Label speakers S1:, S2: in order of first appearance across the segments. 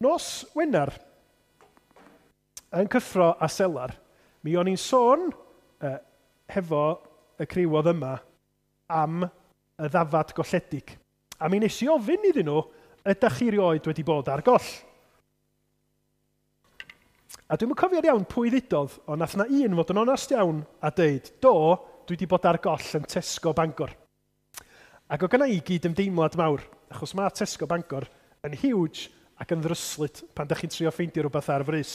S1: Nos Wener, yn Cyffro a Selar, mi o'n i'n sôn hefo y criw oedd yma am y ddafad golledig. A mi nes i ofyn iddyn nhw, ydych chi rioed wedi bod ar goll? A dwi'm yn cofio'n iawn pwy ddudodd, ond nath na un fod yn onast iawn a deud, do, dwi wedi bod ar goll yn Tesco Bangor. Ac o gynna i gyd-ymdeimlad mawr, achos mae Tesco Bangor yn huge ac yn ddryslyd pan da chi'n trio ffeindio rhywbeth ar frys.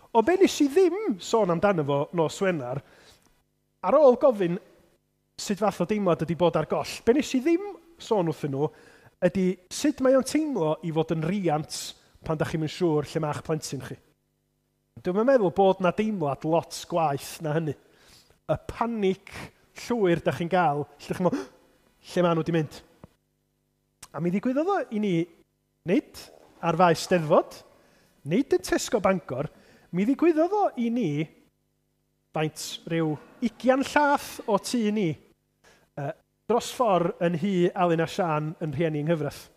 S1: Ond be nes i ddim sôn amdano fo nos Wener, ar ôl gofyn sut fath o deimlad ydy bod ar goll, be nes i ddim sôn wrthyn nhw ydy sut mae o'n teimlo i fod yn riant pan da chi'm yn siŵr lle mae'ch plentyn chi. Dwi'm yn meddwl bod na deimlad lot gwaeth na hynny. Y panic llwyr da chi'n gael, lle da chi'n meddwl, lle maen nhw wedi mynd? A mi ddigwyddodd o i ni, nid ar faes Steddfod, nid yn Tesco Bangor, mi ddigwyddodd o i ni faint rhyw 20 llath o tŷ ni, dros ffordd yn nhŷ Alun a Siân yn rhieni yng nghyfraith.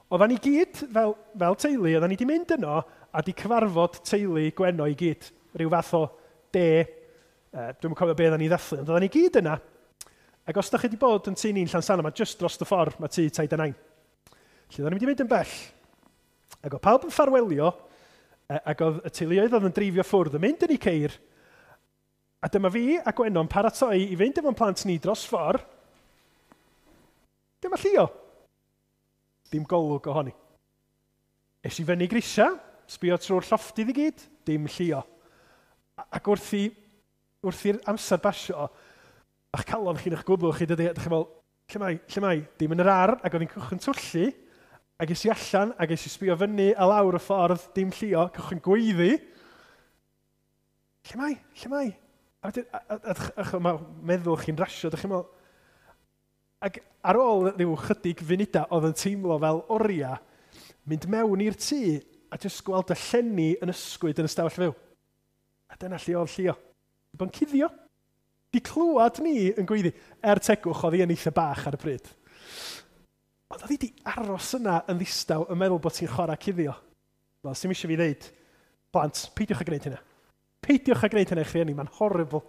S1: Oeddan ni gyd, fel teulu, oeddan ni wedi mynd yno a di cyfarfod teulu Gwenno i gyd. Rhyw fath o de, dwi'm yn cofio be oeddan ni ddathlu, ond oeddan ni gyd yna. Ac os da chi wedi bod yn tŷ ni'n Llansannan, mae jyst dros y ffordd, mae tŷ Taid a Nain. Felly oeddan ni wedi mynd yn bell. Ac oedd pawb yn ffarwelio, ac oedd y teuluoedd oedd yn dreifio ffwrdd yn mynd yn eu ceir, a dyma fi a Gwenno'n paratoi i fynd efo'n plant ni dros ffordd. Dyma Llio. Dim golwg ohoni. Es i fyny grisia, sbio trwy'r llofftydd i gyd, dim Llio. Ac wrth i'r amser basio, a'ch calon chi'n eich gwddw chi, dydy, ydych chi'n meddwl, lle mae, lle mae? Dim yn yr ardd, ac oedd hi'n cychwyn twllu, ac es i allan, ac es i sbio fyny a lawr y ffordd, dim Llio, cychwyn gweiddi. Lle mae, lle mae? A wedyn, a mae meddwl chi'n rasio, ydych chi'n meddwl. Ac ar ôl rhyw chydig funudau oedd yn teimlo fel oriau, mynd mewn i'r tŷ a jyst gweld y llenni yn ysgwyd yn y stafell fyw. A dyna lle oedd Llio. Di bod yn cuddio. Di clywed ni yn gweiddi. Er tegwch, oedd hi yn eitha bach ar y pryd. Ond oedd hi di aros yna yn ddistaw yn meddwl bod ti'n chwarae cuddio. Wel, sy'm eisiau fi ddeud, plant, peidiwch â gwneud hynna. Peidiwch â gwneud hynna i'ch rhieni, mae'n horrible.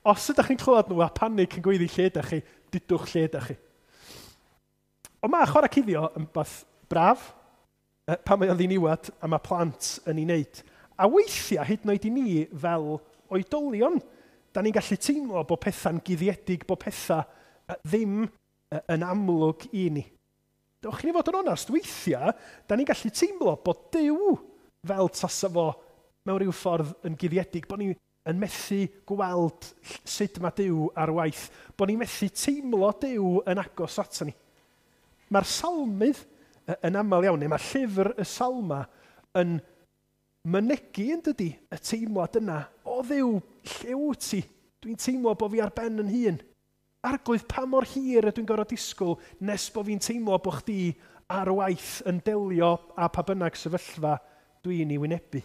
S1: Os ydych chi'n clywed nhw a panic yn gweiddi lle ydych chi, dudwch lle ydych chi. Ond mae chwarae cuddio yn beth braf, pan mae o'n ddiniwad a mae plant yn ei wneud. A weithiau, hyd yn oed i ni fel oedolion, da ni'n gallu teimlo bod pethau'n guddiedig, bod pethau ddim yn amlwg i ni. Dewch i ni fod yn onast, weithiau, da ni'n gallu teimlo bod Duw fel tasa fo mewn rhyw ffordd yn guddiedig, bod ni yn methu gweld sut mae Duw ar waith, bod ni'n methu teimlo Duw yn agos ato ni. Mae'r salmydd yn aml iawn, neu mae llyfr y Salma yn mynegi yn dydy y teimlad yna, o Dduw, lle wyt ti? Dwi'n teimlo bod fi ar ben yn hun. Arglwydd, pa mor hir ydw i'n gorfod disgwyl nes bod fi'n teimlo bod chdi ar waith yn delio â pa bynnag sefyllfa dwi'n ei wynebu.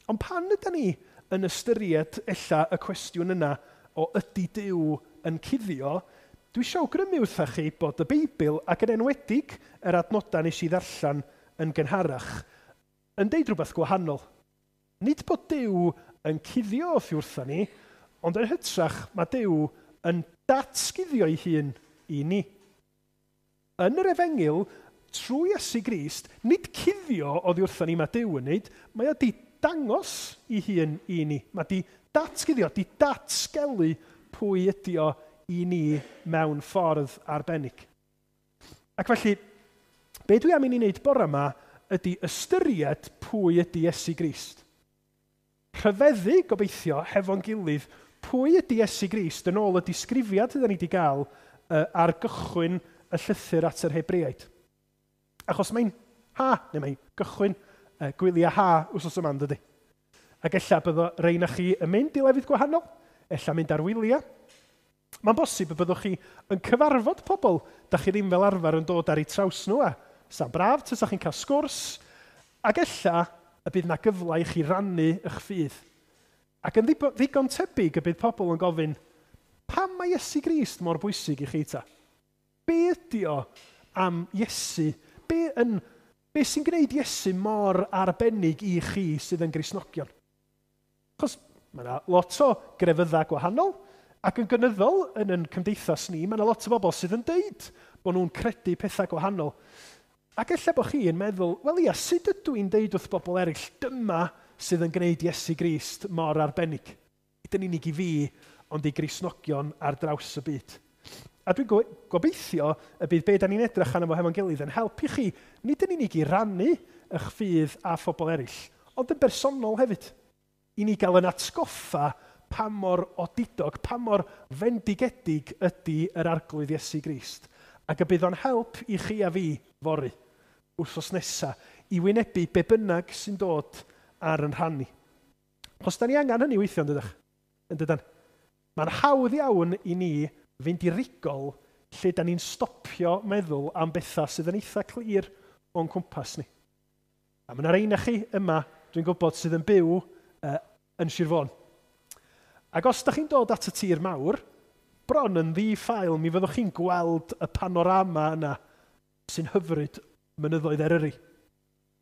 S1: Ond pan ydy ni yn ystyried ella y cwestiwn yna o ydy Duw yn cuddio, dwi eisiau awgrymu wrthach chi bod y Beibl, ac yn enwedig yr adnodau nes i ddarllen yn gynharach, yn deud rhywbeth gwahanol. Nid bod Duw yn cuddio oddi wrtha ni, ond yn hytrach mae Duw yn datguddio ei hun i ni. Yn yr Efengyl, trwy Iesu Grist, nid cuddio oddi wrtha ni mae Duw yn neud, mae o di dangos ei hun i ni. Mae di datguddio, di datgelu pwy ydi o i ni mewn ffordd arbennig. Ac felly, be dwi am i ni wneud bore yma ydy ystyried pwy ydy Iesu Grist. Rhyfeddu, gobeithio, hefo'n gilydd, pwy ydy Iesu Grist yn ôl y disgrifiad ydyn ni wedi gael ar gychwyn y llythyr at yr Hebreaid. Achos mae'n ha, neu mae'n gychwyn gwyliau ha wsos yma, dydy. Ac ella byddo rei na chi yn mynd i lefydd gwahanol, ella mynd ar wyliau. Mae'n bosib y byddwch chi yn cyfarfod pobl da chi ddim fel arfer yn dod ar eu traws nhw, a sa'n braf tasa chi'n cael sgwrs, ac ella y bydd na gyfle i chi rannu eich ffydd. Ac yn ddigon tebyg y bydd pobl yn gofyn, pam mae Iesu Grist mor bwysig i chi ta? Be ydy o am Iesu? Be sy'n gwneud Iesu mor arbennig i chi sydd yn Gristnogion? Achos mae yna lot o grefyddau gwahanol, ac yn gynyddol yn ein cymdeithas ni, mae yna lot o bobl sydd yn deud bod nhw'n credu pethau gwahanol. Ac ella bod chi yn meddwl, wel ia, sut ydw i'n deud wrth bobl eraill, dyma sydd yn gwneud Iesu Grist mor arbennig? Nid yn unig i fi, ond i Gristnogion ar draws y byd. A dwi'n gobeithio y bydd be da ni'n edrych arno fo hefo'n gilydd yn helpu chi, nid yn unig i rannu eich ffydd a phobl eraill, ond yn bersonol hefyd. I ni gael yn atgoffa pa mor odidog, pa mor fendigedig ydy yr Arglwydd Iesu Grist. Ac y bydd o'n help i chi a fi fory, wythnos nesa, i wynebu be bynnag sy'n dod ar yn rhan ni. Os da ni angen hynny weithio, yn dydych? Yn dydan? Mae'n hawdd iawn i ni fynd i rigol lle da ni'n stopio meddwl am bethau sydd yn eitha clir o'n cwmpas ni. A mae yna rei na chi yma, dwi'n gwybod, sydd yn byw yn Sir Fôn. Ac os da chi'n dod at y tir mawr, bron yn ddi-ffael, mi fyddwch chi'n gweld y panorama yna sy'n hyfryd mynyddoedd Eryri.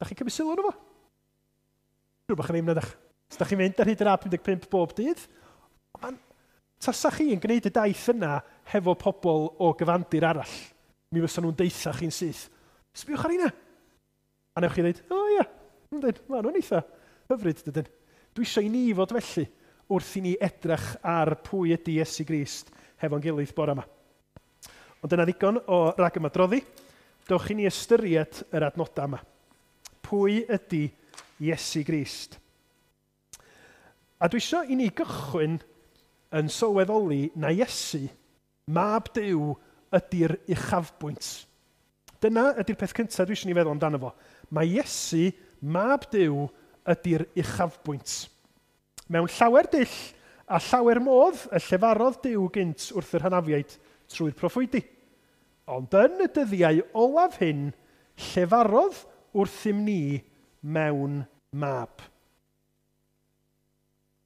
S1: Da chi'n cymryd sylw arno fo? Rwy'n bach yn ddim na ddech. Os da chi'n mynd ar hyd yr A55 bob dydd, mae'n tasa chi yn gwneud y daith yna hefo pobl o gyfandir arall, mi fysa nhw'n deitha chi'n syth. Sbiwch ar hynna. A newch chi ddweud, o ia, yndyn, ma' nhw'n eitha hyfryd, dydyn. Dwi eisiau i ni fod felly wrth i ni edrych ar pwy ydy Iesu Grist hefo'n gilydd bore yma. Ond dyna ddigon o ragymadroddi. Dewch i ni ystyried yr adnodau yma. Pwy ydy Iesu Grist? A dwi eisiau i ni gychwyn yn sylweddoli na Iesu, mab Duw, ydy'r uchafbwynt. Dyna ydy'r peth cyntaf dwi eisiau ni feddwl amdano fo. Mae Iesu, mab Duw, ydy'r uchafbwynt. Mewn llawer dull a llawer modd y llefarodd Duw gynt wrth yr hynafiaid trwy'r proffwydi. Ond yn y dyddiau olaf hyn, llefarodd wrthym ni mewn mab.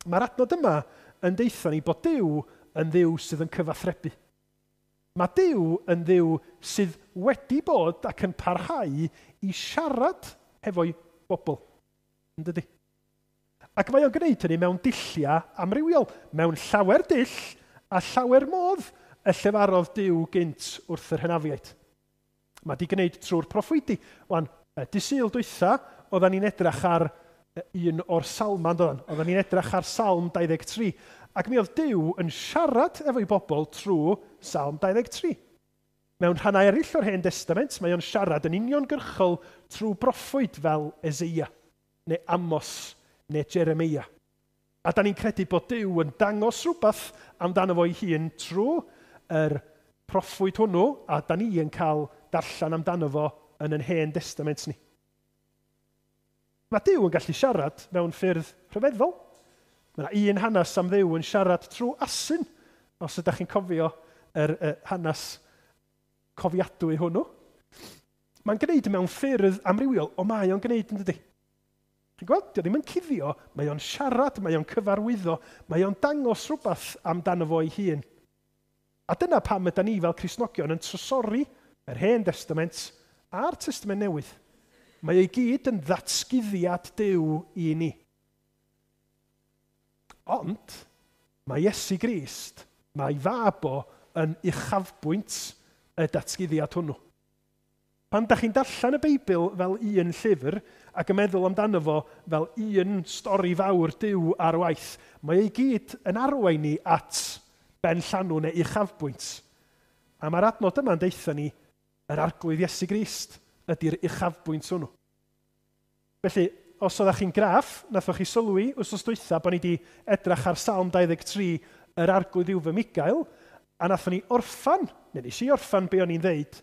S1: Mae'r adnod yma yn deutha ni bod Duw yn Dduw sydd yn cyfathrebu. Mae Duw yn Dduw sydd wedi bod ac yn parhau i siarad hefo'i bobl. Yn dydi? Ac mae o'n gwneud hynny mewn dulliau amrywiol, mewn llawer dull a llawer modd y llefarodd Duw gynt wrth yr hynafiaid. Mae di gwneud trwy'r proffwydi. Wan, dy Sul dwytha, oedden ni'n edrych ar un o'r salmau, doedden? Oedden ni'n edrych ar Salm 23. Ac mi oedd Duw yn siarad efo'i bobl trwy Salm 23. Mewn rhannau eraill o'r Hen Testament, mae o'n siarad yn uniongyrchol trwy broffwyd fel Eseia, neu Amos, neu Jeremia. A da ni'n credu bod Duw yn dangos rhywbeth amdano fo'i hun trwy yr proffwyd hwnnw, a da ni yn cael darllen amdano fo yn ein Hen Testament ni. Mae Duw yn gallu siarad mewn ffyrdd rhyfeddol. Mae yna un hanes am Dduw yn siarad trwy asyn, os ydych chi'n cofio yr hanes cofiadwy hwnnw. Mae'n gwneud mewn ffyrdd amrywiol, o mae o'n gwneud yn dydi. Chi'n gweld, dio ddim yn cuddio, mae o'n siarad, mae o'n cyfarwyddo, mae o'n dangos rhywbeth amdano fo ei hun. A dyna pam yda ni fel Cristnogion yn trysori yr Hen Testament a'r Testament Newydd. Mae ei gyd yn ddatguddiad Duw i ni. Ond mae Iesu Grist, mae fab o yn uchafbwynt y datguddiad hwnnw. Pan da chi'n darllen y Beibl fel un llyfr ac yn meddwl amdano fo fel un stori fawr Duw ar waith, mae ei gyd yn arwain ni at ben llanw neu uchafbwynt. A mae'r adnod yma'n deutha ni yr Arglwydd Iesu Grist ydy'r uchafbwynt hwnnw. Felly, os oeddech chi'n graff, nathoch chi sylwi wythnos dwytha bod ni wedi edrych ar Salm 23, yr Arglwydd yw fy Migael, a nathon ni orffan, neu nes i orffan be o'n i'n ddeud,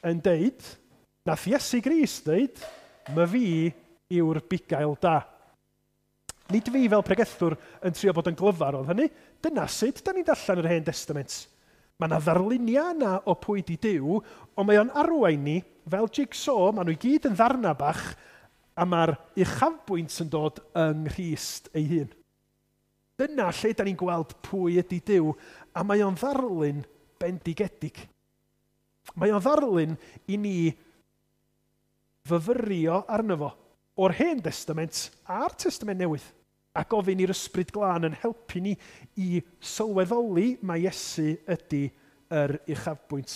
S1: yn deud, nath Iesu Grist ddeud, my fi yw'r bugail da. Nid fi fel pregethwr yn trio bod yn glyfar oedd hynny, dyna sut da ni'n darllen yr Hen Testament. Mae yna ddarluniau yna o pwy di Duw, ond mae o'n arwain ni fel jigsaw, maen nhw i gyd yn ddarna bach, a mae'r uchafbwynt yn dod yng Nghrist ei hun. Dyna lle da ni'n gweld pwy ydy Duw, a mae o'n ddarlun bendigedig. Mae o'n ddarlun i ni fyfyrio arno fo o'r Hen Destament a'r Testament Newydd, a gofyn i'r Ysbryd Glân yn helpu ni i sylweddoli mai Iesu ydy yr uchafbwynt.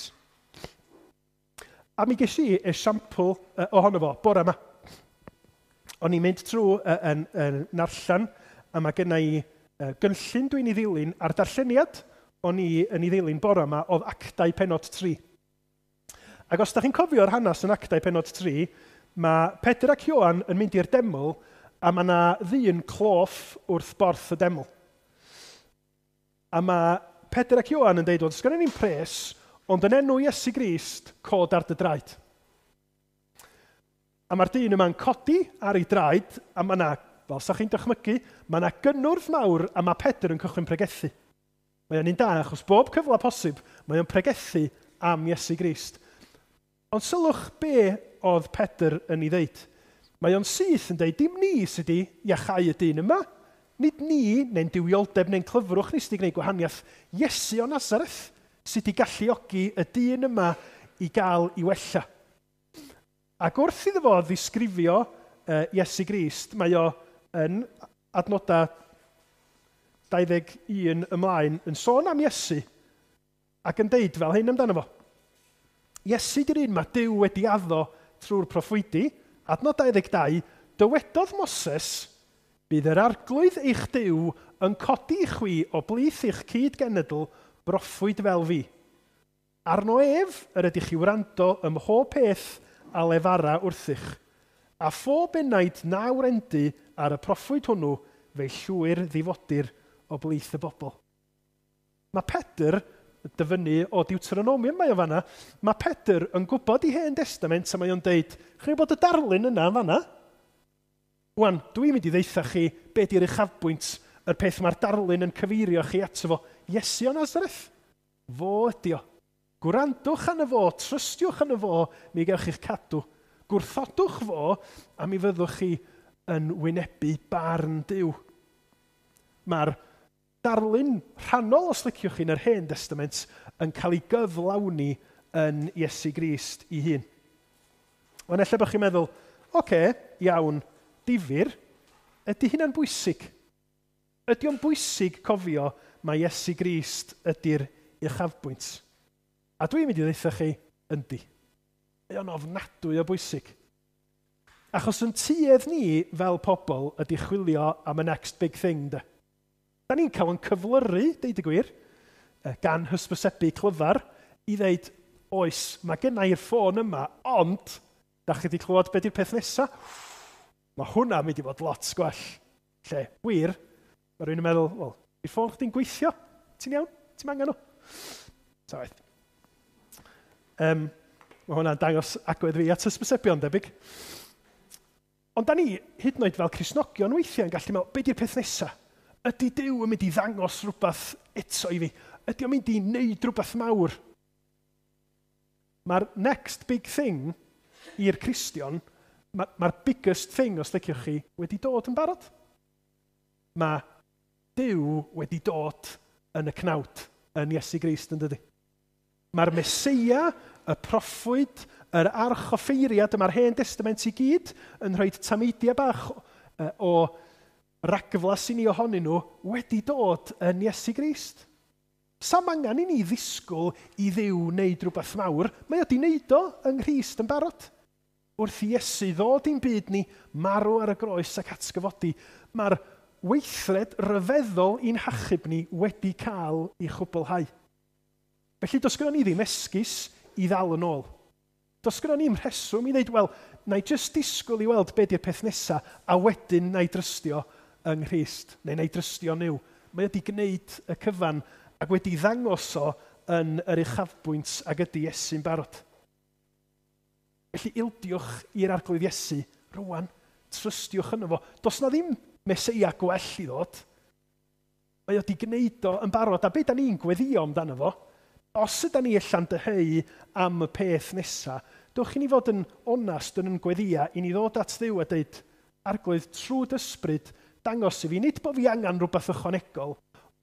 S1: A mi ges i esiampl ohono fo bore yma. O'n i'n mynd trwy yn narllen, a mae genna i gynllun dwi'n ei ddilyn, a'r darlleniad o'n i yn ei ddilyn bore yma oedd Actau penod 3. Ac os da chi'n cofio'r hanes yn Actau penod 3, mae Pedr ac Ioan yn mynd i'r deml, a mae yna ddyn cloff wrth borth y deml. A mae Pedr ac Ioan yn deud, wel, does gennym ni'n pres, ond yn enw Iesu Grist, cod ar dy draed. A mae'r dyn yma'n codi ar ei draed, a mae yna, fel sa chi'n dychmygu, mae yna gynnwrf mawr, a mae Pedr yn cychwyn pregethu. Mae o'n un da, achos bob cyfle posib, mae o'n pregethu am Iesu Grist. Ond sylwch be oedd Pedr yn ei ddeud. Mae o'n syth yn deud, dim ni sydd wedi iachau y dyn yma. Nid ni, neu'n duwioldeb, neu'n clyfrwch ni sydd wedi gwneud gwahaniaeth. Iesu o Nazareth sydd wedi galluogi y dyn yma i gael ei wella. Ac wrth iddo fo ddisgrifio Iesu Grist, mae o yn adnodau 21 ymlaen yn sôn am Iesu ac yn deud fel hyn amdano fo. Iesu di'r un mae Duw wedi addo trwy'r proffwydi, adnod 22, dywedodd Moses, bydd yr arglwydd eich Duw yn codi i chwi o blith eich cyd-genedl broffwyd fel fi. Arno ef yr ydych chi wrando ym mhob peth a lefara wrthych, a phob enaid na wrendu ar y proffwyd hwnnw fe'i llwyr ddifodir o blith y bobl. Mae Pedr, dyfynnu o Deuteronomium mae o fanna, mae Pedr yn gwybod i Hen Testament a mae o'n deud, chi'n gwybod y darlun yna yn fanna? Wan, dwi'n mynd i ddeutha chi be di'r uchafbwynt, yr peth mae'r darlun yn cyfeirio chi ato fo. Iesu o Nazareth, fo ydi o. Gwrandwch arno fo, trystiwch arno fo, mi gewch chi'ch cadw. Gwrthodwch fo, a mi fyddwch chi yn wynebu barn Duw. Mae'r darlun rhannol, os liciwch chi, yn yr Hen Testament yn cael ei gyflawni yn Iesu Grist ei hun. Ond ella bod chi'n meddwl, oce, iawn, difyr, ydy hynna'n bwysig? Ydy o'n bwysig cofio mai Iesu Grist ydy'r uchafbwynt? A dwi'n mynd i ddeutha chi, yndi. Mae o'n ofnadwy o bwysig. Achos yn tuedd ni fel pobl ydy chwilio am y next big thing, de. Da ni'n cael yn cyflyru, deud y gwir, gan hysbysebu clyfar, i ddeud, oes, mae genna i'r ffôn yma, ond, da chi wedi clywed be di'r peth nesaf? Mae hwnna'n mynd i fod lot gwell. Lle, wir, mae rhywun yn meddwl, wel, di'r ffôn chdi'n gweithio? Ti'n iawn? Ti'n angen nhw? Ta waeth. Mae hwnna'n dangos agwedd fi at hysbysebion, debyg. Ond da ni, hyd yn oed fel Cristnogion weithiau, yn gallu meddwl, be di'r peth nesaf? Ydy Duw yn mynd i ddangos rhywbeth eto i fi? Ydy o'n mynd i wneud rhywbeth mawr? Mae'r next big thing i'r Cristion, mae'r biggest thing, os liciwch chi, wedi dod yn barod. Mae Duw wedi dod yn y cnawd, yn Iesu Grist, yn dydy. Mae'r Meseia, y proffwyd, yr archoffeiriad, mae'r Hen Testament i gyd yn rhoi tameidiau bach o ragflas i ni ohonyn nhw wedi dod yn Iesu Grist. Sam angen i ni ddisgwyl i Dduw wneud rhywbeth mawr, mae o wedi wneud o yng Nghrist yn barod. Wrth i Iesu ddod i'n byd ni, marw ar y groes ac atgyfodi, mae'r weithred ryfeddol i'n hachub ni wedi cael ei chwblhau. Felly does gynnon ni ddim esgus i ddal yn ôl. Does gynnon ni'm rheswm i ddeud, wel, na i jyst disgwyl i weld be di'r peth nesaf, a wedyn na i drystio yng Nghrist, neu na i drystio Nuw. Mae wedi gwneud y cyfan ac wedi ddangos o yn yr uchafbwynt ag ydy Iesu'n barod. Felly ildiwch i'r Arglwydd Iesu rwan, trystiwch yno fo. Does na ddim Meseia gwell i ddod. Mae wedi gwneud o yn barod, a be da ni'n gweddio amdano fo, os yda ni allan dyheu am y peth nesaf, dewch i ni fod yn onast yn gweddia, i ni ddod at Dduw a deud, Arglwydd, trwy dy ysbryd, dangos i fi, nid bod fi angen rhywbeth ychwanegol,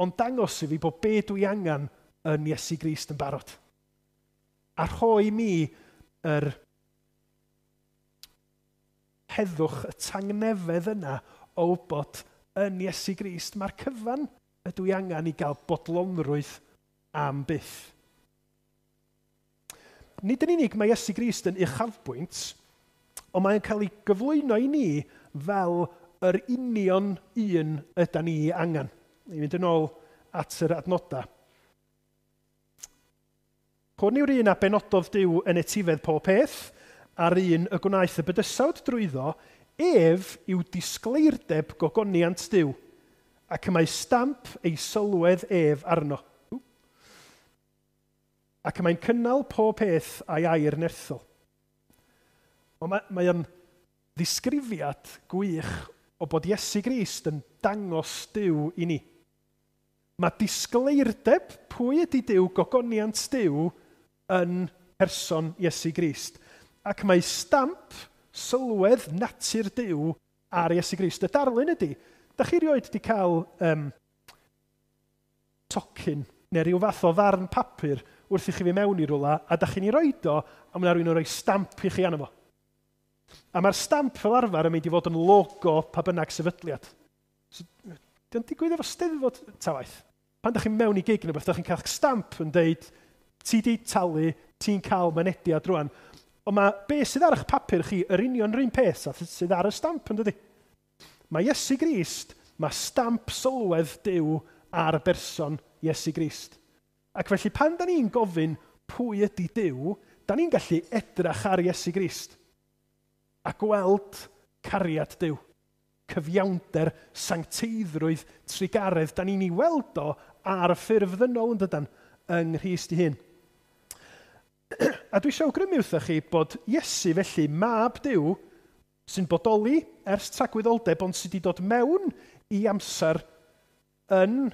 S1: ond dangos i fi bod be dwi angen yn Iesu Grist yn barod. A rhoi mi yr heddwch, y tangnefedd yna o wybod yn Iesu Grist. Mae'r cyfan ydw i angen i gael bodlonrwydd am byth. Nid yn unig mae Iesu Grist yn uchafbwynt, ond mae'n cael ei gyflwyno i ni fel yr union un ydan ni angen. I fynd yn ôl at yr adnodau. Hwn yw'r un a benododd Duw yn etifedd pob peth, a'r un y gwnaeth y bydysawd drwyddo, ef yw disgleirdeb gogoniant Duw, ac y mae stamp ei sylwedd ef arno. Ac y mae'n cynnal pob peth a'i air nerthol. Ond mae o'n ddisgrifiad gwych o bod Iesu Grist yn dangos Duw i ni. Mae disgleirdeb pwy ydy Duw, gogoniant Duw, yn person Iesu Grist. Ac mae stamp sylwedd natur Duw ar Iesu Grist. Y darlun ydy, da chi rioed wedi cael tocyn neu rhyw fath o ddarn papur wrth i chi fi mewn i rwla, a da chi'n ei roed o, a mae rhywun yn rhoi stamp i chi arno fo. A mae'r stamp fel arfer yn mynd i fod yn logo pa bynnag sefydliad. So, dio'n digwydd efo Steddfod ta waith. Pan da chi'n mewn i gig neu beth, da chi'n cael stamp yn deud, ti di talu, ti'n cael mynediad rwan. Ond mae be sydd ar eich papur chi, yr union yr un peth sydd ar y stamp yn dydi. Mae Iesu Grist, mae stamp sylwedd Duw ar berson Iesu Grist. Ac felly pan da ni'n gofyn pwy ydy Duw, da ni'n gallu edrach ar Iesu Grist a gweld cariad Duw, cyfiawnder, sancteiddrwydd, trugaredd. Da ni'n ei weld o ar y ffurf ddynol yn dydan, yng Nghrist ei hun. A dwi eisiau awgrymu wrthoch chi bod Iesu felly, mab Duw, sy'n bodoli ers tragwyddoldeb, ond sydd wedi dod mewn i amser yn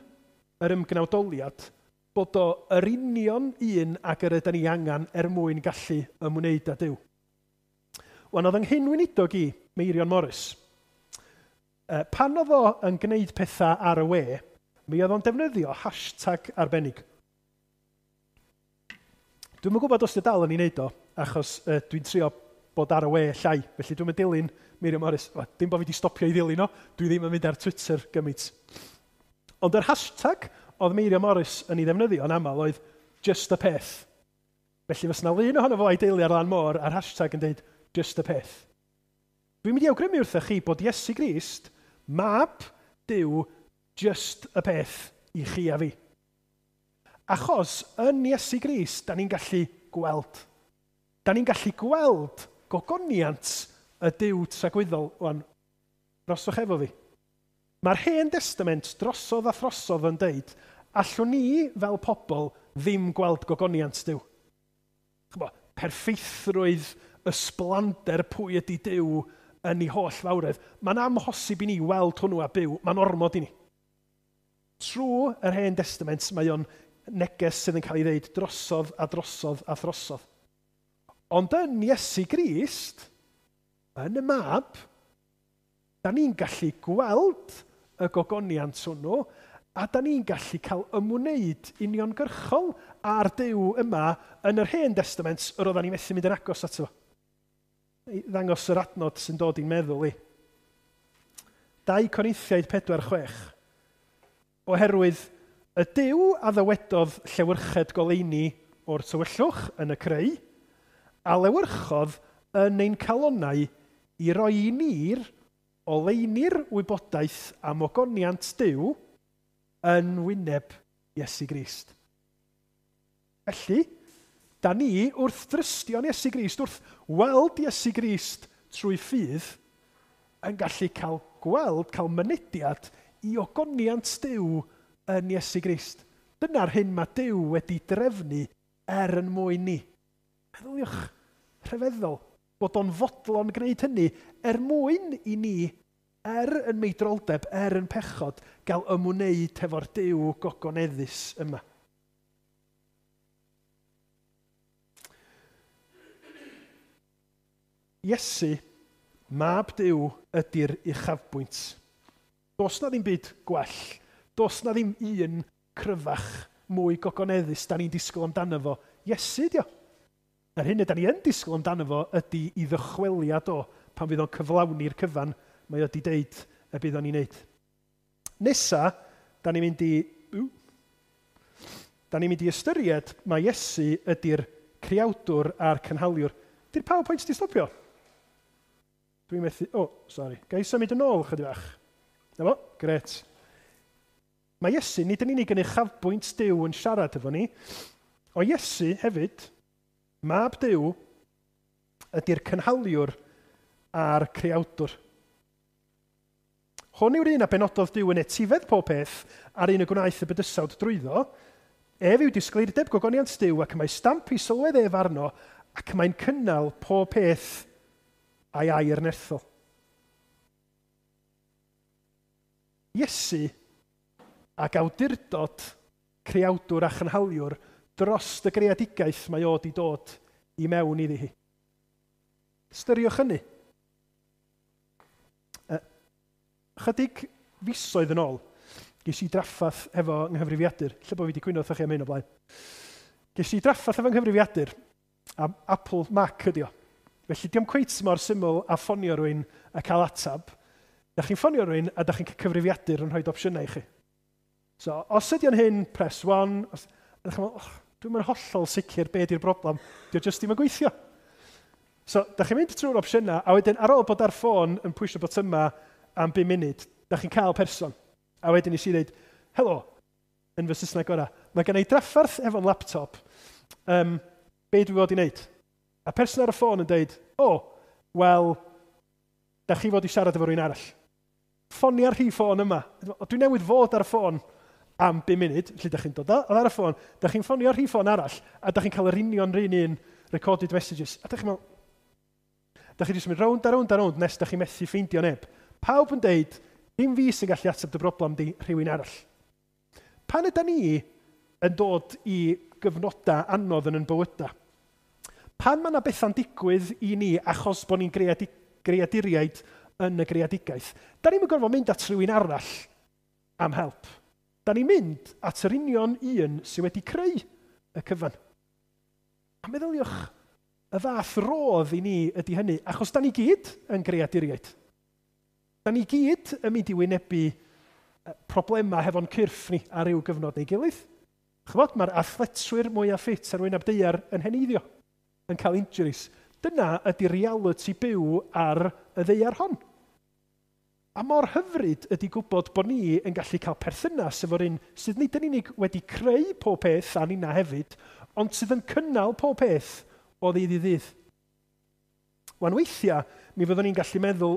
S1: yr ymgnawdoliad, bod o yr union un ag yr ydyn ni angen er mwyn gallu ymwneud â Duw. Wan, oedd yng nghyn-weinidog i, Meirion Morris, pan oedd o yn gwneud pethau ar y we, mi oedd o'n defnyddio hashtag arbennig. Dwi'm yn gwybod os di dal yn ei wneud o, achos dwi'n trio bod ar y we llai, felly dwi'm yn dilyn Meirion Morris. Well, dim bod fi wedi stopio i ddilyn o, dwi ddim yn mynd ar Twitter gymaint. Ond yr hashtag oedd Meirion Morris yn ei ddefnyddio yn aml oedd just y peth. Felly fysa 'na lun ohono fo a'i deulu ar lan môr a'r hashtag yn dweud just y peth. Dwi'n mynd i awgrymu wrthych chi bod Iesu Grist, mab Duw, just y peth i chi a fi. Achos yn Iesu Grist, da ni'n gallu gweld. Da ni'n gallu gweld gogoniant y Duw tragwyddol. Wan, rhoswch efo fi. Mae'r Hen Testament drosodd a throsodd yn deud, allwn ni fel pobl ddim gweld gogoniant Duw. Ch'bo, perffeithrwydd, ysblander pwy ydy Duw yn ei holl fawredd. Mae'n amhosib i ni weld hwnnw a byw, mae'n ormod i ni. Trwy yr Hen Testament, mae o'n neges sydd yn cael ei ddeud drosodd a drosodd a throsodd. Ond yn Iesu Grist, yn y mab, da ni'n gallu gweld y gogoniant hwnnw, a da ni'n gallu cael ymwneud uniongyrchol â'r Duw yma yn yr Hen Testament yr oedden ni methu mynd yn agos ato fo. I ddangos yr adnod sy'n dod i'n meddwl i. 2 Corinthiaid 4:6. Oherwydd y Duw a ddywedodd llewyrched goleuni o'r tywyllwch yn y creu, a lewyrchodd yn ein calonnau i roi i ni'r oleuni'r wybodaeth am ogoniant Duw yn wyneb Iesu Grist. Felly, da ni wrth drystio'n Iesu Grist, wrth weld Iesu Grist trwy ffydd, yn gallu cael gweld, cael mynediad i ogoniant Duw yn Iesu Grist. Dyna'r hyn mae Duw wedi drefnu er yn mwyn ni. Meddyliwch, rhyfeddol, bod o'n fodlon gwneud hynny er mwyn i ni, er yn meidroldeb, er yn pechod, gael ymwneud hefo'r Duw gogoneddus yma. Iesu, mab Duw, ydy'r uchafbwynt. Does na ddim byd gwell. Does na ddim un cryfach, mwy gogoneddus da ni'n disgwyl amdano fo. Iesu, dio. Yr hyn ydan ni yn disgwyl amdano fo ydy i ddychweliad o pan fydd o'n cyflawni'r cyfan mae o wedi deud y bydd o'n ei wneud. Nesa, da ni'n mynd i... Da ni'n mynd i ystyried mae Iesu ydy'r creawdwr a'r cynhaliwr. Di'r PowerPoint di stopio? Dwi'n methu... O, oh, sori. Ga i symud yn ôl chydig bach? Na fo? Gret. Mae Iesu nid yn unig yn uchafbwynt Duw yn siarad efo ni, o Iesu hefyd, mab Duw, ydy'r cynhaliwr a'r creawdwr. Hwn yw'r un a benododd Duw yn etifedd pob peth a'r un y gwnaeth y bydysawd drwyddo. Ef yw disgleirdeb gogoniant Duw ac mae stamp i sylwedd ef arno ac mae'n cynnal pob peth a'i air nerthol. Iesu ac awdurdod creawdwr a chynhaliwr dros y greadigaeth mae o di dod i mewn iddi hi. Ystyriwch hynny. Chydig fisoedd yn ôl, ges i draffath efo nghyfrifiadur. Lle bod fi wedi cwyno wrthych chi am hyn o blaen. Ges i draffath efo nghyfrifiadur, a Apple Mac ydi o. Felly diom cweit mor syml a ffonio rhywun a cael atab. Da chi'n ffonio rhywun a da chi'n cael cyfrifiadur yn rhoi opsiynau i chi. So, os ydy o'n hyn, press 1. Os, a da chi'n meddwl, oh, dwi'n mynd hollol sicr be di'r broblem. Dio jyst ddim yn gweithio. So, da chi'n mynd trwy'r opsiynau, a wedyn ar ôl bod ar ffôn yn pwysio botyma am 5 munud, da chi'n cael person. A wedyn nes i ddweud, helo, yn fy Saesneg gorau, mae gen i drafferth efo'n laptop, be dwi fod i wneud? A person ar y ffôn yn dweud, o, oh, wel, da chi fod i siarad efo rhywun arall. Ffonia'r rhif ffôn yma. O, dwi newydd fod ar y ffôn am 5 munud, felly da chi'n dod ar y ffôn, da chi'n ffonio'r rhif ffôn arall, a da chi'n cael yr union rhan un recorded messages. A da chi'n meddwl, da chi jyst mynd rownd a rownd a rownd nes da chi'n methu ffeindio neb. Pawb yn deud, dim fi sy'n gallu ateb dy broblem di, rhywun arall. Pan yda ni yn dod i gyfnodau anodd yn yn bywydau? Pan mae yna bethau'n digwydd i ni achos bod ni'n greaduriaid yn y greadigaeth, da ni'n gorfod mynd at rhywun arall am help. Da ni'n mynd at yr union un sydd wedi creu y cyfan. A meddyliwch, y fath rodd i ni ydy hynny, achos da ni gyd yn greaduriaid. Da ni gyd yn mynd i wynebu problemau hefo'n cyrff ni ar ryw gyfnod neu gilydd. Chybod, mae'r athletwyr mwyaf ffit ar wyneb daear yn heneiddio, yn cael injuries. Dyna ydy reality byw ar y ddaear hon. A mor hyfryd ydy gwybod bod ni yn gallu cael perthynas efo'r un sydd nid yn unig wedi creu pob peth a nina hefyd, ond sydd yn cynnal pob peth o ddydd i ddydd. Wan weithiau, mi fyddwn ni'n gallu meddwl,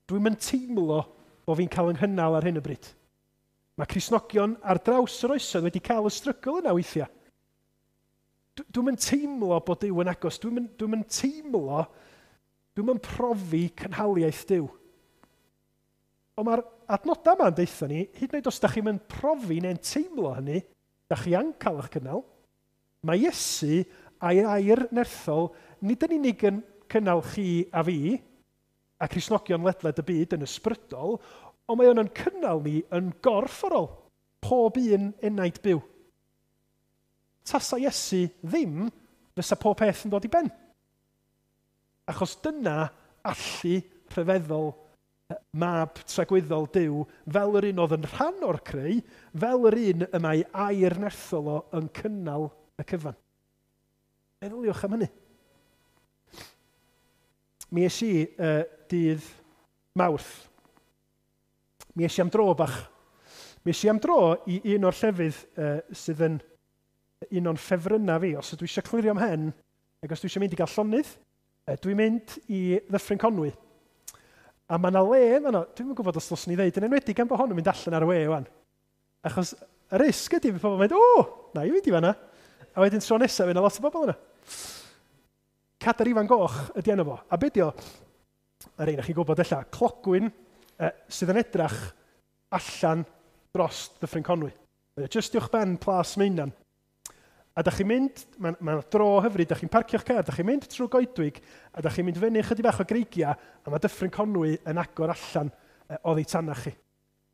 S1: dwi'n mynd teimlo bod fi'n cael ynghynnal ar hyn o bryd. Mae Cristnogion ar draws yr oesoedd wedi cael y strygl yna weithiau. Dwi'n mynd teimlo bod Duw yn agos, dwi'n mynd teimlo, dwi'n mynd profi cynhaliaeth Duw. Ond mae'r adnodau yma'n deutha ni, hyd yn oed os da chi'n mynd profi neu'n teimlo hynny, da chi yn cael eich cynnal. Mae Iesu a'i air nerthol nid yn unig yn cynnal chi a fi, a Cristnogion ledled y byd yn ysbrydol, ond mae o'n cynnal ni yn gorfforol, pob un enaid byw. Tasa Iesu ddim, fysa pob peth yn dod i ben. Achos dyna allu rhyfeddol mab tragwyddol Duw, fel yr un oedd yn rhan o'r creu, fel yr un y mae air nerthol o yn cynnal y cyfan. Meddyliwch am hynny. Mi es i dydd Mawrth. Mi es i am dro bach. Mi es i am dro i un o'r llefydd sydd yn un o'n ffefrynnau fi. Os ydw i eisiau clirio mhen, ac os dwi eisiau mynd i gael llonydd, dwi'n mynd i Ddyffryn Conwy. A mae yna le, dwi'm yn gwybod os ddylswn i ddeud, yn enwedig gan bod hon yn mynd allan ar y we wan. Achos y risg ydy, fydd pobl yn mynd, o, na i fynd i fanna. A wedyn tro nesaf, fydd yna lot o bobl yna. Cadair Ifan Goch ydy enw fo. A be di o, yr un o'ch chi'n gwybod ella, clogwyn sydd yn edrach allan dros Ddyffryn Conwy. Mae o jyst uwch ben Plas Meinan. A da chi'n mynd, mae'n dro hyfryd, da chi'n parcio'ch car, da chi'n mynd trwy goedwig, a da chi'n mynd fyny chydig bach o greigiau, a mae Dyffryn Conwy yn agor allan oddi tanach chi.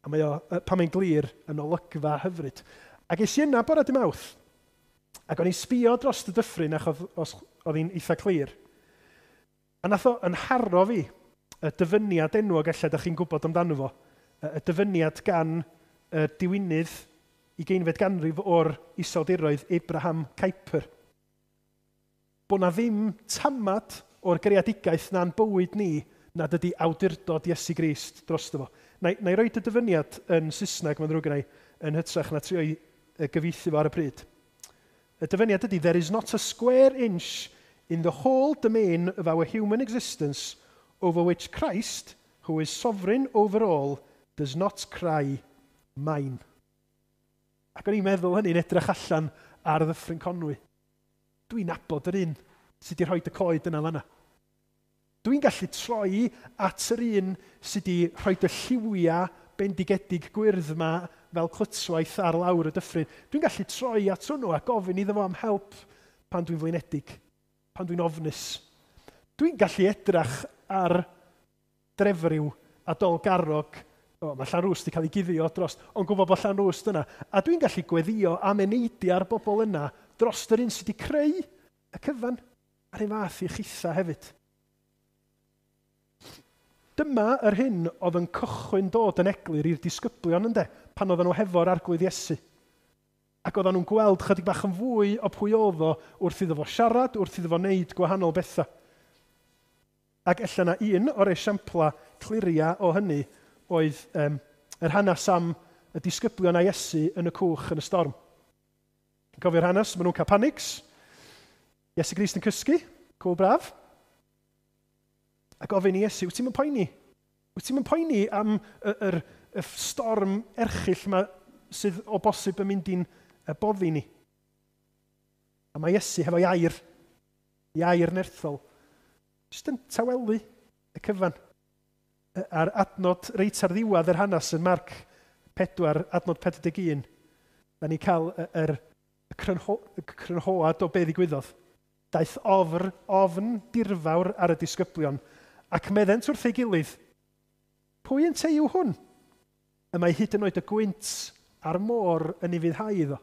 S1: A mae o, pan mae'n glir, yn olygfa hyfryd. Ac es i yna bore dy Mawrth, ac o'n i'n sbio dros y dyffryn, achos Oedd hi'n eitha clir. A nath o yn haro fi y dyfyniad enwog ella da chi'n gwybod amdano fo, y dyfyniad gan y diwinydd 20fed ganrif o'r Iseldiroedd, Abraham Kuyper. Bo na ddim tamad o'r greadigaeth na'n bywyd ni nad ydy awdurdod Iesu Grist drosto fo. Na i roed y dyfyniad yn Saesneg, mae'n ddrwg gen i, yn hytrach na trio i gyfieithu fo ar y pryd. Y dyfyniad ydy, "There is not a square inch in the whole domain of our human existence over which Christ, who is sovereign over all, does not cry, 'Mine.'" Ac o'n i'n meddwl hynny'n edrych allan ar Ddyffryn Conwy. Dwi'n nabod yr un sydd wedi rhoi y coed yna fanna. Dwi'n gallu troi at yr un sydd wedi rhoi y lliwiau bendigedig gwyrdd yma fel clytwaith ar lawr y dyffryn. Dwi'n gallu troi at hwnnw a gofyn iddo fo am help pan dwi'n flinedig, pan dwi'n ofnus. Dwi'n gallu edrych ar Drefriw a Dolgarrog. O, mae Llanrwst wedi cael ei guddio dros, ond gwybod bod Llanrwst yna. A dwi'n gallu gweddio am eneidiau'r bobl yna dros yr un sydd wedi creu y cyfan, a'r un fath i chitha hefyd. Dyma yr hyn oedd yn cychwyn dod yn eglur i'r disgyblion, ynde, pan oedden nhw hefo'r Arglwydd Iesu. Ac oedden nhw'n gweld chydig bach yn fwy o pwy oedd o wrth iddo fo siarad, wrth iddo fo wneud gwahanol bethau. Ac ella na un o'r esiampla cliria o hynny oedd yr hanes am y disgyblion a Iesu yn y cwch yn y storm. Cofio'r hanes, maen nhw'n cael panics. Iesu Grist yn cysgu, cwl braf. A gofyn i Iesu, "Wyt ti'n mynd poeni? Wyt ti'n mynd poeni am y storm erchyll yma sydd o bosib yn mynd i'n boddi ni?" A mae Iesu hefo ei air nerthol, jyst yn tawelu y cyfan. A'r adnod reit ar ddiwedd yr hanes yn Marc 4, adnod 41, da ni cael y crynhoad o be ddigwyddodd. Daeth ofn dirfawr ar y disgyblion, ac meddent wrth ei gilydd, "Pwy ynteu yw hwn? Y mae hyd yn oed y gwynt a'r môr yn ufuddhau iddo."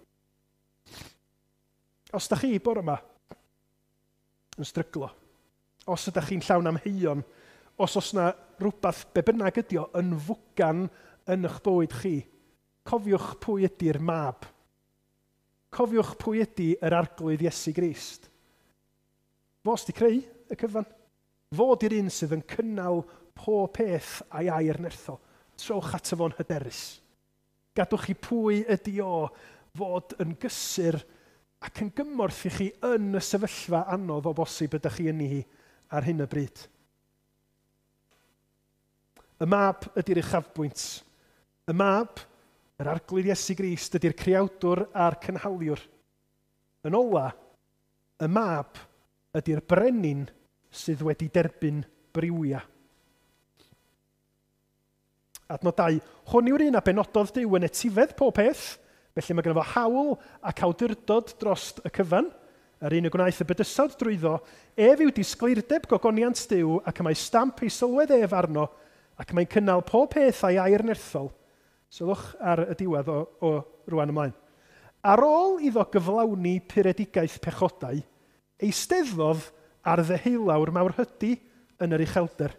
S1: Os da chi bore yma yn stryglo, os ydych chi'n llawn amheuon, os oes na rhywbeth be bynnag ydi o yn fwgan yn eich bywyd chi, cofiwch pwy ydy'r Mab. Cofiwch pwy ydy yr Arglwydd Iesu Grist. Fo sydd wedi creu y cyfan. Fo di'r un sydd yn cynnal pob peth a'i air nerthol. Trowch ato fo'n hyderus. Gadwch chi pwy ydy o fod yn gysur ac yn gymorth i chi yn y sefyllfa anodd o bosib ydych chi yn hi ar hyn o bryd. Y Mab ydy'r uchafbwynt. Y Mab, yr Arglwydd Iesu Grist, ydy'r creawdwr a'r cynhaliwr. Yn ola, y Mab ydy'r brenin sydd wedi derbyn briwiau. Adnod 2. Hwn yw'r un a benododd Duw yn etifedd pob peth, felly mae gynno fo hawl ac awdurdod dros y cyfan, yr un y gwnaeth y bydysawd drwyddo, ef yw disgleirdeb gogoniant Duw ac y mae stamp ei sylwedd ef arno, ac mae'n cynnal pob peth a'i air nerthol. Sylwch ar y diwedd o rwan ymlaen. Ar ôl iddo gyflawni puredigaeth pechodau, eisteddodd ar ddeheulawr Mawrhydi yn yr uchelder.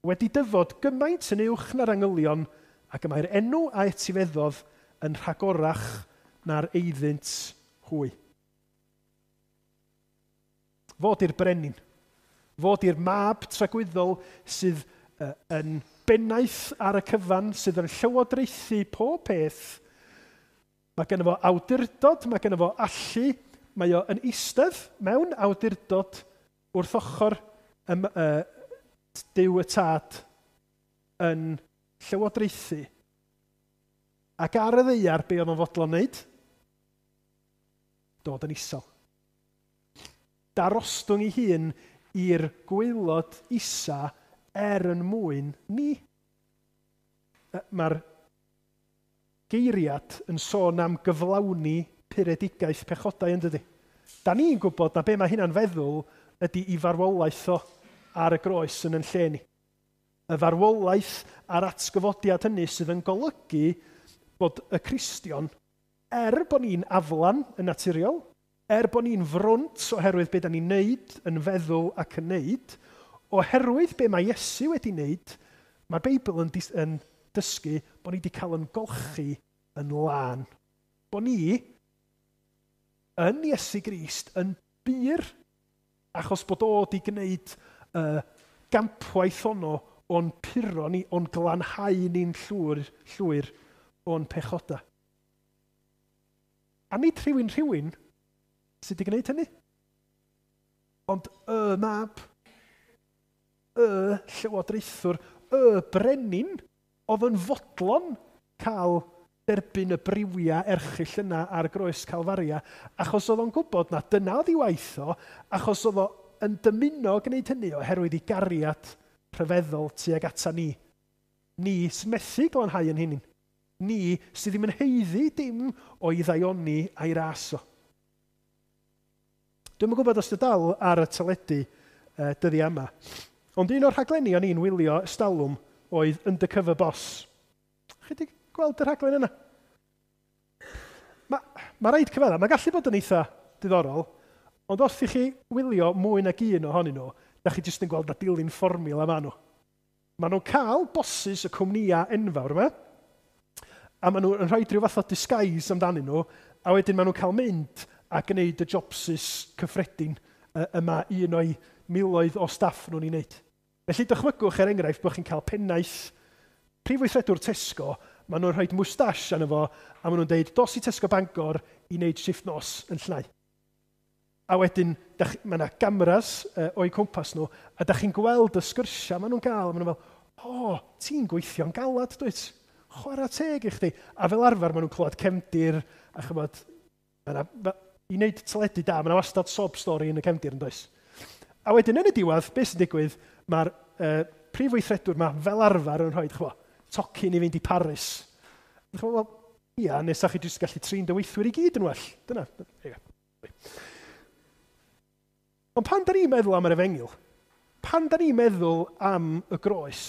S1: Wedi dyfod gymaint yn uwch na'r angylion, ac y mae'r enw a etifeddodd yn rhagorach na'r eiddynt hwy. Fo di'r brenin. Fo di'r Mab tragwyddol sydd yn bennaeth ar y cyfan, sydd yn llywodraethu pob peth. Mae genno fo awdurdod, mae genno fo allu, mae o yn eistedd mewn awdurdod wrth ochr Duw y Tad yn llywodraethu. Ac ar y ddaear, be oedd o'n fodlon wneud? Dod yn isel. Darostwng ei hun i'r gwaelod isa er yn mwyn ni. Mae'r geiriad yn sôn am gyflawni puredigaeth pechodau, yn dydy? Da ni'n gwybod na be mae hynna'n feddwl ydy i farwolaeth o ar y groes yn yn lle ni. Y farwolaeth a'r atgyfodiad hynny sydd yn golygu bod y Cristion, er bod ni'n aflan yn naturiol, Er bod ni'n frwnt oherwydd be da ni'n neud, yn feddwl ac yn neud, oherwydd be mae Iesu wedi neud, mae'r Beibl yn dysgu bod ni wedi cael yn golchi yn lân. Bod ni yn Iesu Grist yn bur, achos bod o wedi gwneud y gampwaith ono o'n puro ni, o'n glanhau ni'n llwyr o'n pechoda. A nid rhywun sydd wedi gwneud hynny, ond y mab, y llywodraethwr, y brenin, oedd yn fodlon cael derbyn y briwiau erchyll yna ar groes Calfaria, achos oedd o'n gwybod na dyna oedd ei waith o, achos oedd o yn dymuno gwneud hynny oherwydd ei gariad rhyfeddol tuag ata ni. Ni sy'n methu glanhau yn hynny. Ni sydd ddim yn haeddu dim o'i ddaioni a'i ras o. Dwi'm yn gwybod os dy dal ar y teledu dyddiau yma, ond un o'r rhaglenni o'n i'n wylio ystalwm oedd Undercover Boss. Chi wedi gweld y rhaglen yna? Mae rhaid cyfadda, mae'n gallu bod yn eitha diddorol, ond os i chi wylio mwy nag un ohonyn nhw, da chi jyst yn gweld na dilyn fformiwla maen nhw. Maen nhw'n cael bosses y cwmnïau enfawr yma, a maen nhw'n rhoi rhyw fath o disguise amdanyn nhw, a wedyn maen nhw'n cael mynd a gwneud y jobsys cyffredin yma un o'i miloedd o staff nhw'n ei wneud. Felly dychmygwch er enghraifft bod chi'n cael pennaeth prif weithredwr Tesco, maen nhw'n rhoi moustache arno fo, a maen nhw'n deud, dos i Tesco Bangor i wneud shift nos yn llnau. A wedyn, mae yna cameras o'u cwmpas nhw, a da chi'n gweld y sgyrsiau maen nhw'n gael, a maen nhw'n fel, o, ti'n gweithio'n galad, dwyt? Chwarae teg i chdi. A fel arfer, maen nhw'n clywed cefndir, a chymod, i wneud teledu da, mae yna wastad sob stori yn y cefndir yn does. A wedyn yn y diwedd, beth sy'n digwydd, mae'r prif weithredwr yma fel arfer yn rhoi, chwa, tocyn i fynd i Paris. Chwa, wel, ia, nes chi jyst gallu trin dy weithwyr i gyd yn well. Dyna. Ond pan da ni'n meddwl am yr efengyl, pan da ni'n meddwl am y groes,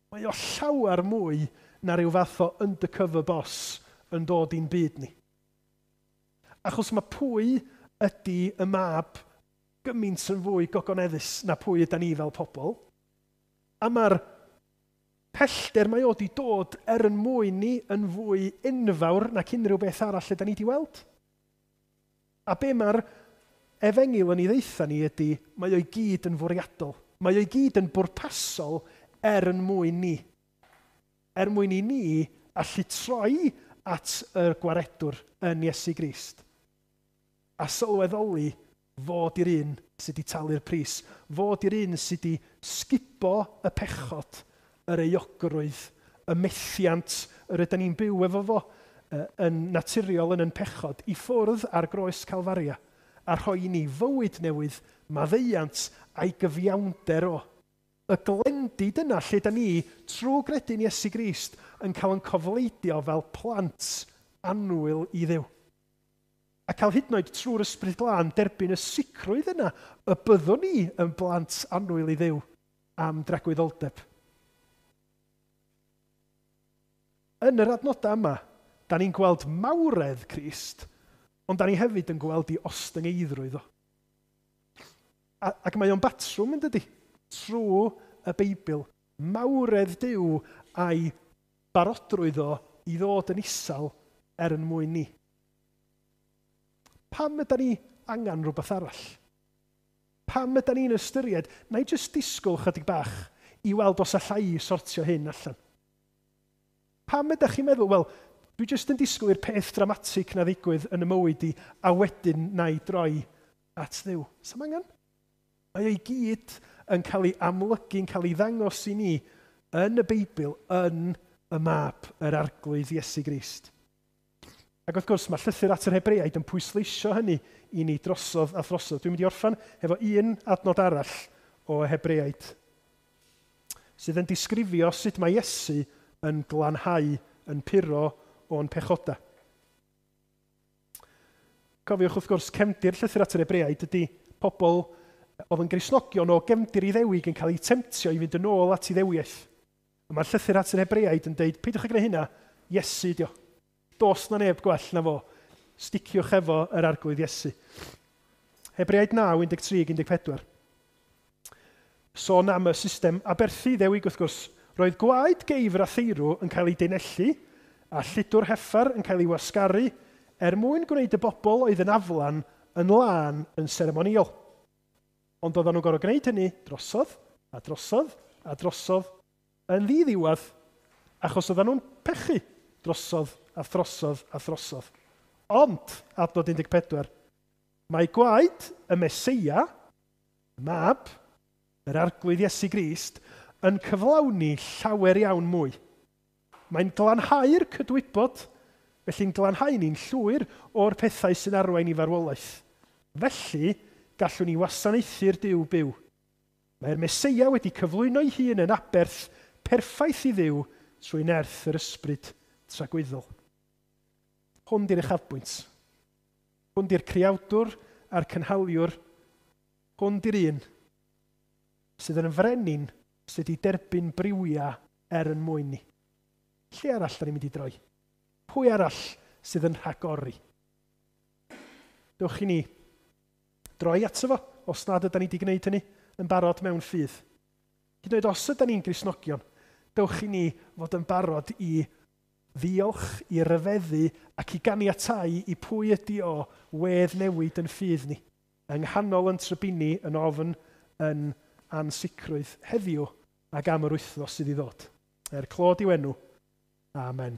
S1: mae o llawer mwy na rhyw fath o undercover boss yn dod i'n byd ni. Achos mae pwy ydy y mab gymaint yn fwy gogoneddus na pwy ydy ni fel pobl. A mae'r pellter mae o wedi dod er yn mwyn ni yn fwy enfawr nac unrhyw beth arall ydy ni wedi weld. A be mae'r efengyl yn ei ddeitha ni ydy, mae o'i gyd yn fwriadol. Mae o'i gyd yn bwrpasol er yn mwyn ni. Er mwyn i ni allu troi at y gwaredwr yn Iesu Grist. A sylweddoli fod i'r un sydd wedi talu'r pris, fod i'r un sydd wedi sgubo y pechod, yr euogrwydd, y methiant yr ydyn ni'n byw efo fo yn naturiol yn pechod, i ffwrdd ar groes Calfaria, a rhoi i ni fywyd newydd, maddeuant a'i gyfiawnder o. Y glendid yna lle da ni, trwy gredu'n Iesu Grist, yn cael yn cofleidio fel plant annwyl i Dduw. A cael hyd yn oed trwy'r Ysbryd Glân derbyn y sicrwydd yna y byddwn ni yn blant annwyl i Dduw am dragwyddoldeb. Yn yr adnodau yma, da ni'n gweld mawredd Crist, ond da ni hefyd yn gweld ei ostyngeiddrwydd o. Ac mae o'n batrwm yn dydi, trwy y Beibl, mawredd Duw a'i barodrwydd o i ddod yn isel er yn mwyn ni. Pam ydy ni angen rhywbeth arall? Pam ydy ni'n ystyried, na i jyst disgwyl chydig bach i weld os allai i sortio hyn allan? Pam ydych chi'n meddwl, wel, dwi jyst yn disgwyl i'r peth dramatig na ddigwydd yn y mywyd i, a wedyn na i droi at Dduw. Sa'm angen? Mae o'i gyd yn cael ei amlygu, yn cael ei ddangos i ni yn y Beibl, yn y mab, yr Arglwydd Iesu Grist. Ac wrth gwrs, mae llythyr at yr Hebreaid yn pwysleisio hynny i ni drosodd a throsodd. Dwi'n mynd i orffan efo un adnod arall o Hebreaid, sydd yn disgrifio sut mae Iesu yn glanhau, yn puro o'n pechoda. Cofiwch wrth gwrs, cefndir llythyr at yr Hebreaid ydy pobl oedd yn Gristnogion o gefndir Iddewig yn cael eu temtio i fynd yn ôl at Iddewiaeth. A mae'r llythyr at yr Hebreaid yn deud, peidiwch â gwneud hynna, Iesu dio. Does na neb gwell na fo Sticiwch efo yr Arglwydd Iesu. Hebreaid 9, 13, 14. Sôn am y system aberthu ddewig wrth gwrs. Roedd gwaed geifr a theirw yn cael ei deinellu a lludwr heffar yn cael ei wasgaru er mwyn gwneud y bobl oedd yn aflan yn lân yn seremonïol. Ond oedden nhw'n gorfod gwneud hynny drosodd a drosodd a drosodd yn ddiddiwedd, achos oedden nhw'n pechu drosodd a throsodd a throsodd. Ond, adnod 14, mae gwaed y Meseia, y mab, yr Arglwydd Iesu Grist, yn cyflawni llawer iawn mwy. Mae'n glanhau'r cydwybod, felly'n glanhau ni'n llwyr o'r pethau sy'n arwain i farwolaeth. Felly, gallwn ni wasanaethu'r Duw byw. Mae'r Meseia wedi cyflwyno'i hun yn aberth perffaith i Dduw trwy nerth yr ysbryd tragwyddol. Hwn di'r uchafbwynt. Hwn di'r creawdwr a'r cynhaliwr. Hwn di'r un sydd yn frenin sydd wedi derbyn briwiau er yn mwyn ni. Lle arall da ni'n mynd i droi? Pwy arall sydd yn rhagori? Dewch i ni droi ato fo, os nad ydan ni wedi gwneud hynny yn barod mewn ffydd. Hyd yn oed os ydan ni'n Gristnogion, dewch i ni fod yn barod i ddiolch, i ryfeddu ac i ganiatáu i pwy ydi o wedd newid yn ffydd ni. Yng nghanol yn trybini, yn ofn, yn ansicrwydd heddiw ac am yr wythnos sydd i ddod. Er clod i'w enw. Amen.